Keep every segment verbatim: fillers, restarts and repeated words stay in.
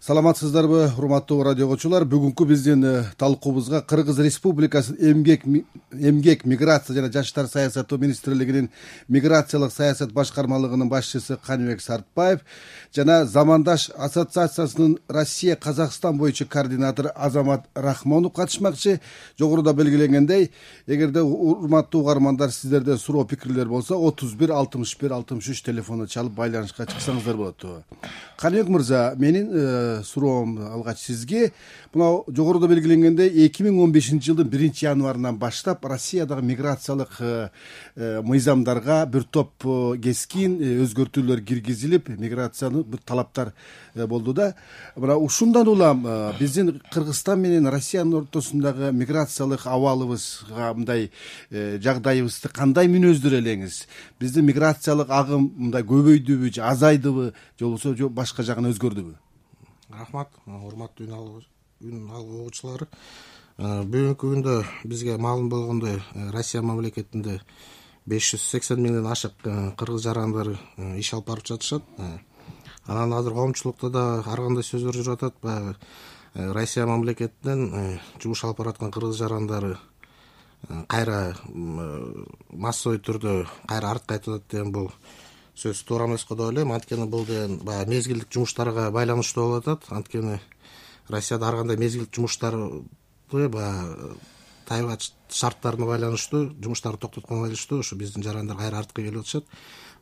Саламатсыздарбы, урматтуу радио окуучулар. Бүгүнкү биздин талкуубузга Кыргыз Республикасынын эмгек эмгек миграция жана жаштар саясаты министрлигинин миграциялык саясат башкармалыгынын башчысы Каныбек Сартбаев жана Замандаш ассоциациясынын Россия Казакстан боюнча координатору Азамат Рахмонов катышмакчы. Жогоруда белгиленгендей, эгерде урматтуу угармандар сиздерде суроо пикирлер болсо отуз бир алтымыш бир алтымыш үч телефону чалып байланышка чыксаңыздар болот. Каныбек мырза, менин суроом алгач сизге. Мына жогоруда белгиленгендей эки миң он бешинчи жылдын биринчи январынан баштап Россиядагы миграциялык мыйзамдарга бир топ кескин өзгөртүүлөр киргизилип, миграциянын бир талаптар болду да. Мына ушундан улам биздин Кыргызстан менен Россиянын ортосундагы миграциялык абалыбызга мындай жагдайыбызды кандай мүнөздөр элеңиз? Биздин миграциялык агым мындай көбөйдүбү же азайдыбы, же болбосо же башка жагын өзгөрдүбү? Рахмат, урматтуу үн алуучулар. Бүгүнкү күндө бизге маалым болгондой, Россия мамлекетинде беш жүз сексен миңден ашык кыргыз жарандары иш алып барып жатышат. Анан азыр коомчулукта да ар кандай сөздөр жүрүп атат. Баягы Россия мамлекетинен жумуш алып бараткан кыргыз жарандары кайра массовый түрдө кайра артка кайтып атат деген бул сөз туура эмес го деп ойлойм. Анткени бул деген баягы мезгилдик жумуштарга байланыштуу болуп атат. Анткени Россияда ар кандай мезгилдик жумуштарды баягы тайгак шарттарына байланыштуу жумуштарды токтотконго байланыштуу ушу биздин жарандар кайра артка келип атышат.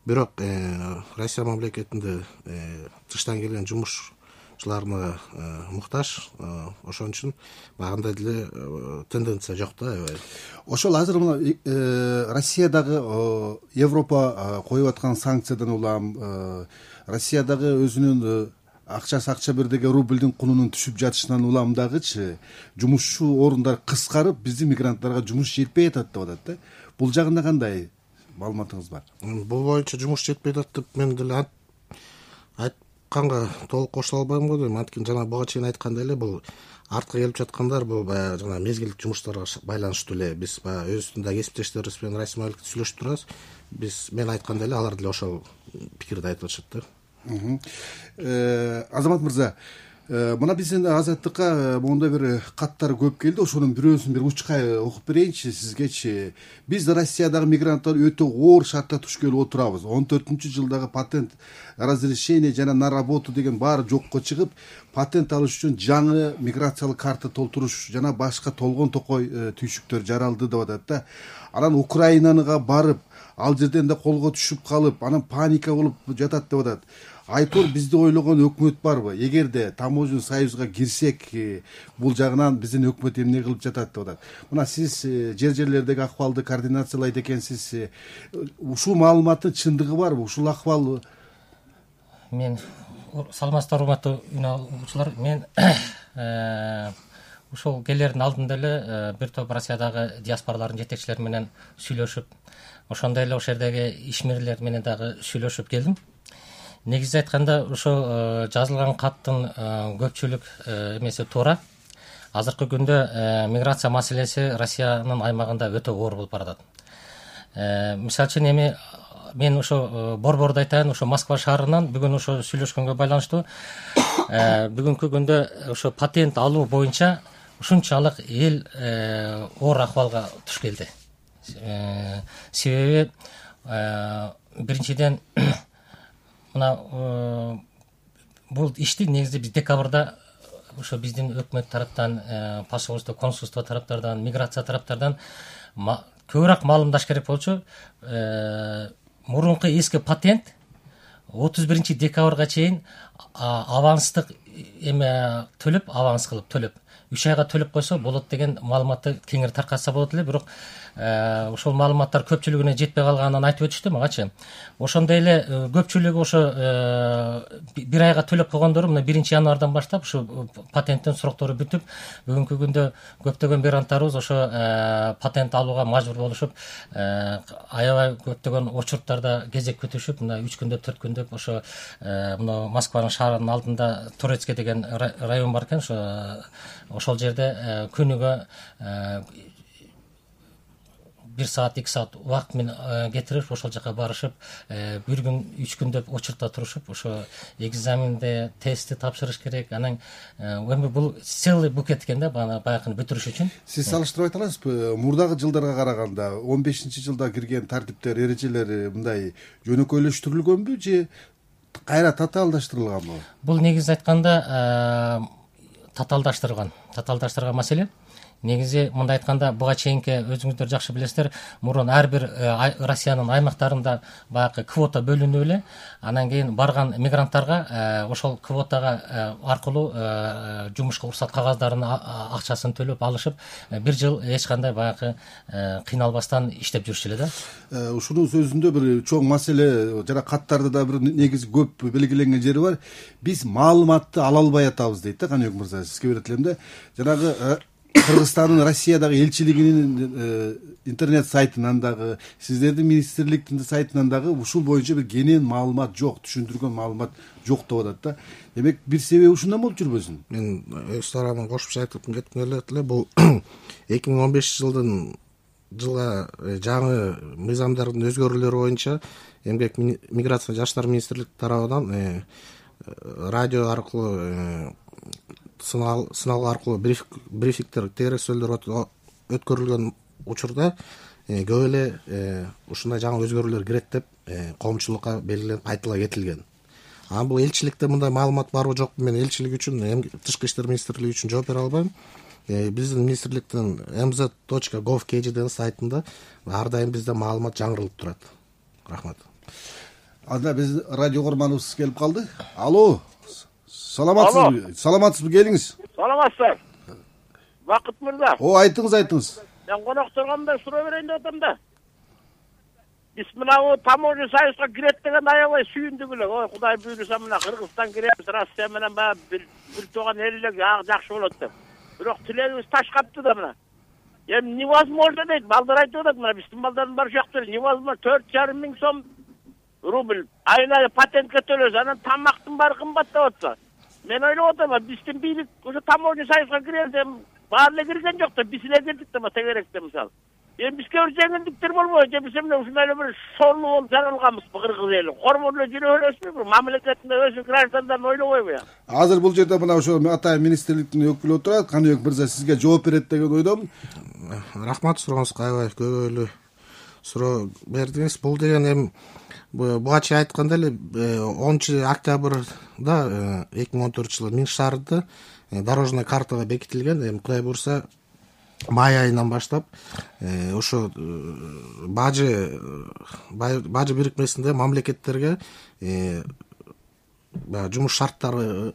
Бирок Россия мамлекетинде тыштан келген жумушчуларына муктаж, ошон үчүн багындай деле тенденция жок да, аябай. Ошол азыр мына Россиядагы Европа коюп аткан санкциядан улам, Россиядагы өзүнүн акчасы акча бирдеги рубльдин кунунун түшүп жатышынан улам дагычы жумушчу орундар кыскарып, биздин мигранттарга жумуш жетпей атат деп атат да. Бул жагында кандай маалыматыңыз бар? Бул боюнча жумуш жетпей атат деп мен деле айтканга толук кошула албайм го дейм. Анткени жана буга чейин айткандай эле, бул артка келип жаткандар бул баягы жана мезгилдик жумуштарга байланыштуу эле. Биз баягы өзүбүздүн кесиптештерибиз менен Россия мамлекети сүйлөшүп турабыз. Биз мен айткандай эле алар деле ошол пикирди айтып атышат да. Азамат мырза, мына биздин Азаттыкка моундай бир каттар көп келди. Ошонун бирөөсүн бир учкай окуп берейинчи сизгечи. Биз Россиядагы мигранттар өтө оор шартта туш келип отурабыз. он төртүнчү жылдагы патент, разрешение жана на работу деген баары жокко чыгып, патент алыш үчүн жаңы миграциялык карта толтуруш жана башка толгон токой түйшүктөр жаралды деп атат да. Анан Украинага барып, ал жерден да колго түшүп калып, анан паника болуп жатат деп атат. Айтор бизди ойлогон өкмөт барбы? Эгерде таможенный союзга кирсек, бул жагынан биздин өкмөт эмне кылып жатат деп атат. Мына сиз жер жерлердеги акыбалды координациялайт экенсиз. Ушул маалыматтын чындыгы барбы? Ушул акыбал? Мен саламатсыздар урматтуу үн алуучулар. Мен ушул келердин алдында эле бир топ Россиядагы диаспоралардын жетекчилери менен сүйлөшүп, ошондой эле ошол жердеги ишмерлер менен дагы сүйлөшүп келдим. Негизи айтканда, ошо жазылган каттын көпчүлүк эмеси туура. Азыркы күндө миграция маселеси Россиянын аймагында өтө оор болуп баратат. Мисалы үчүн эми мен ошо борборду айтайын, ошо Москва шаарынан бүгүн ошо сүйлөшкөнгө байланыштуу бүгүнкү күндө ошо патент алуу боюнча ушунчалык эл оор акыбалга туш келди. Себеби биринчиден мына бул ишти негизи биз декабрда ошо биздин өкмөт тараптан, посольство, консулство тараптардан, миграция тараптардан көбүрөөк маалымдаш керек болчу. Мурунку эски патент отуз биринчи декабрга чейин аванстык эме төлөп, аванс кылып төлөп, үч айга төлөп койсо болот деген маалыматты кеңири таркатса болот эле. Бирок ошол маалыматтар көпчүлүгүнө жетпей калганын айтып өтүштү магачы. Ошондой эле көпчүлүгү ошо бир айга төлөп койгондору мына биринчи январдан баштап ушу патенттин сроктору бүтүп, бүгүнкү күндө көптөгөн мигранттарыбыз ошо патент алууга мажбур болушуп, аябай көптөгөн очурттарда кезек күтүшүп, мына үч күндө, төрт күндө ошо мына Москванын шаарынын алдында Турецкий деген район бар экен, ошо ошол жерде күнүгө бир саат эки саат убакыт менен кетирип ошол жака барышып бир күн үч күн деп очередте турушуп ошо экзаменде тестти тапшырыш керек. Анан эми бул целый букет экен да баягыны бүтүрүш үчүн. Сиз салыштырып айта аласызбы? Мурдагы жылдарга караганда он бешинчи жылда кирген тартиптер, эрежелер мындай жөнөкөйлөштүрүлгөнбү же кайра татаалдаштырылганбы? Бул негизи айтканда татаалдаштырылган. Татаалдаштырылган маселе. Негизи мындай айтканда буга чейинки өзүңүздөр жакшы билесиздер, мурун ар бир Россиянын аймактарында баягы квота бөлүнүп эле, анан кийин барган мигранттарга ошол квотага аркылуу жумушка уруксат кагаздарын акчасын төлөп алышып, бир жыл эч кандай баягы кыйналбастан иштеп жүрчү эле да. Ушунун сөзүндө бир чоң маселе жана каттарда да бир негизи көп белгиленген жери бар. Биз маалыматты ала албай атабыз дейт да Каныбек мырза. Сизге берет элем да. Жанагы Кыргызстандын Россиядагы элчилигинин интернет сайтынан дагы, сиздердин министрликтин сайтынан дагы ушул боюнча бир кенен маалымат жок, түшүндүргөн маалымат жок деп атат да. Демек бир себеби ушундан болуп жүрбөсүн? Мен өз тарабымдан кошумча айтып кетким келет эле. Бул эки миң он бешинчи жылдын жылга жаңы мыйзамдардын өзгөрүүлөрү боюнча эмгек миграция жаштар министрлиги тарабынан радио аркылуу сыналгы аркылуу брифингдер, тегересүүлөр өткөрүлгөн учурда көп эле ушундай жаңы өзгөрүүлөр кирет деп коомчулукка белгиленип айтыла кетилген. Анан бул элчиликте мындай маалымат барбы жокпу, мен элчилик үчүн, Тышкы иштер министрлиги үчүн жооп бере албайм. Биздин министрликтин эм зет точка гов точка кей жи сайтында ар дайым бизде маалымат жаңырылып турат. Рахмат. Анда биз радио көрманыбыз келип калды. Алло. Саламатсызбы? Саламатсызбы? Келиңиз. Саламатсыздар. Бакыт мырза. О, айтыңыз, айтыңыз. Мен конокторгонда суроо берейин деп атам да. Биз мына таможня союзга кирет деген аябай сүйүндүк эле. Ой, Кудай буйруса мына Кыргызстан киребиз, Россия менен баягы бир бир тууган эл эле жакшы болот деп. Бирок тилегибиз таш капты да мына. Эми невозможно дейт. Балдар айтып атат, мына биздин балдардын баары жакты эле. Невозможно төрт жарым миң сом рубль айына патентке төлөсө, анан тамактын баары кымбаттап атса. Мен ойлоп атам, биздин бийлик ошо таможня союзга кирелде баары эле кирген жок да, биз эле кирдик да тегеректе мисалы. Эми бизге бир жеңилдиктер болбойбу же биз эмне ушундай эле бир сорлуу болуп жаралганбызбы кыргыз эли? Кормор эле жүрө бересизби? Мамлекетинде өзү граждандарын ойлобойбу я? Азыр бул жерде мына ошо атайын министрликтин өкүлү отурат. Каныбек мырза, сизге жооп берет деген ойдомун. Рахмат, сурооңузга аябай көбөйлүү суроо бердиңиз. Бул деген эми буга чейин айтканда эле онунчу октябрда эки миң он төртүнчү жылы Минск шаарында дорожный картада бекитилген. Эми Кудай буйруса май айынан баштап ошо бажы бажы бирикмесинде мамлекеттерге жумуш шарттары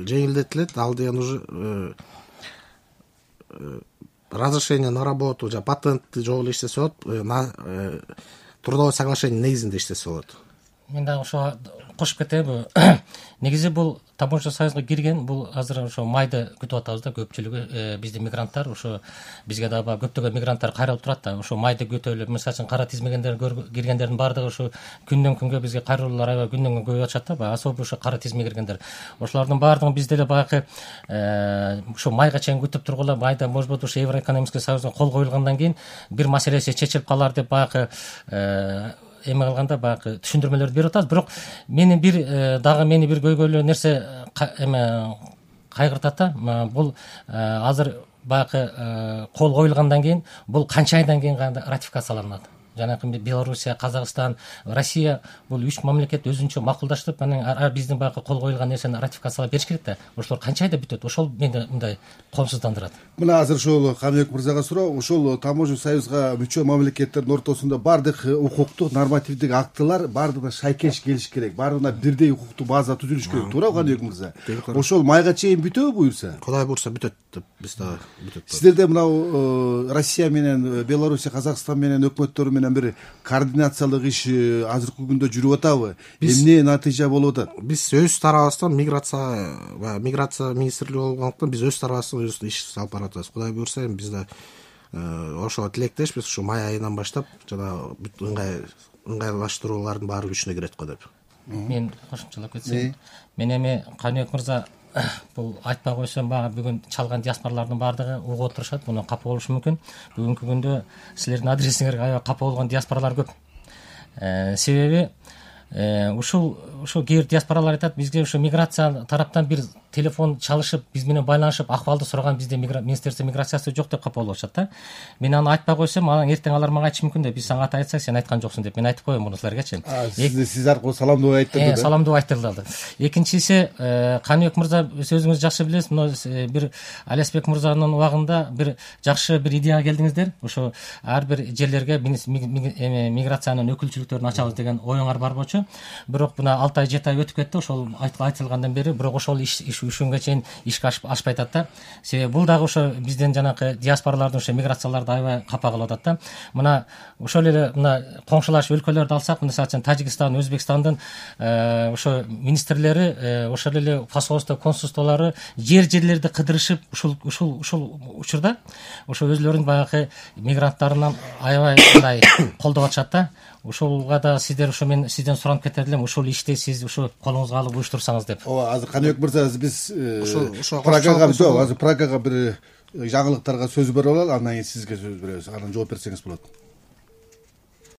жеңилдетилет. Ал деген уже разрешение на работу, же патентти жолу иштесе болот, трудовое соглашение негизинде иштесе болот. Мен дагы ошо кошуп кетейинби? Негизи бул таможня союзга кирген, бул азыр ошо майды күтүп атабыз да, көпчүлүгү биздин мигранттар, ошо бизге дагы көптөгөн мигранттар кайрылып турат да, ошо майды күтөлүп, мисалы үчүн кара тизмегендер киргендердин баардыгы ошо күндөн күнгө бизге кайрылуулар аябай күндөн күнгө көбөйүп атышат да, особо ошо кара тизме киргендер. Ошолордун баардыгын бизде эле баягы ошо майга чейин күтүп тургула, майда может быть ошо Евроэкономический союзга кол коюлгандан кийин бир маселеси чечилип калар деп баягы эме кылганда баягы түшүндүрмөлөрдү берип атабыз. Бирок мени бир дагы мени бир көйгөйлүү нерсе эме кайгыртат да. Бул азыр баягы кол коюлгандан кийин бул канча айдан кийин ратификацияланат? Жанагы Белоруссия, Казакстан, Россия бул үч мамлекет өзүнчө макулдаштырып, анан биздин баягы кол коюлган нерсени ратификациялап бериш керек да. Ошолор канча айда бүтөт? Ошол мени мындай коомсуздандырат. Мына азыр ошол Каныбек мырзага суроо, ошол таможня союзга мүчө мамлекеттердин ортосунда бардык укуктук нормативдик актылар бардыгына шайкеш келиш керек, бардыгына бирдей укуктук база түзүлүш керек, туурабы Каныбек мырза? Ошол майга чейин бүтөбү буюрса? Кудай буйруса бүтөт деп биз дагы бүтөт. Сиздерде мына Россия менен Белоруссия, Казакстан менен өкмөттөрү менен бир координациялык иш азыркы күндө жүрүп атабы? Эмне натыйжа болуп атат? Биз өз тарабыбыздан миграция миграция министрлиги болгондуктан биз өз тарабыбыздан иш алып барып атабыз. Кудай буйруса эми биз да ошого тилектешпиз, ушу май айынан баштап жана бүт ыңгай ыңгайлаштыруулардын баары күчүнө кирет го деп. Мен кошумчалап кетсем, мен эми Каныбек мырза бул айтпай койсом баягы бүгүн чалган диаспоралардын баардыгы угуп отурушат, муну капа болушу мүмкүн. Бүгүнкү күндө силердин адресиңерге аябай капа болгон диаспоралар көп. Себеби ушул ушул кээ бир диаспоралар айтат, бизге ушу миграция тараптан бир телефон чалышып, биз менен байланышып, акыбалды сураган бизде министерство миграциясы жок деп капа болуп атышат да. Мен аны айтпай койсом, анан эртең алар мага айтышы мүмкүн да, биз сага ата айтсак, сен айткан жоксуң деп. Мен айтып коем муну силергечи. Сиз аркылуу саламдоо айттырды да. Саламдоо айттырылды. Экинчиси, Каныбек мырза, өзүңүз жакшы билесиз, мына бир Алиасбек мырзанын убагында бир жакшы бир идеяга келдиңиздер. Ошо ар бир жерлерге миграциянын өкүлчүлүктөрүн ачабыз деген оюңар бар болчу. Бирок мына алты ай жети ай өтүп кетти, ошол айтылгандан бери, бирок ошол иш үч күнгө чейин ишке ашпай атат да. Себеби бул дагы ошо бизден жанакы диаспоралардын ошо миграцияларды аябай капа кылып атат да. Мына ошол эле мына коңшулаш өлкөлөрдү алсак, мисалы үчүн Тажикстан, Өзбекстандын ошо министрлери, ошол эле посольство, консулстволору жер жерлерди кыдырышып, ушул ушул ушул учурда ошо өзлөрүнүн баягы мигранттарынан аябай мындай колдоп атышат да. Ушулга да сиздер ошо мен сизден суранып кетер элем, ушул ишти сиз ушу колуңузга алып уюштурсаңыз деп. Ооба, азыр Каныбек мырза, биз Прагага, жок, азыр Прагага бир жаңылыктарга сөз берип алалы, андан кийин сизге сөз беребиз. Анан жооп берсеңиз болот.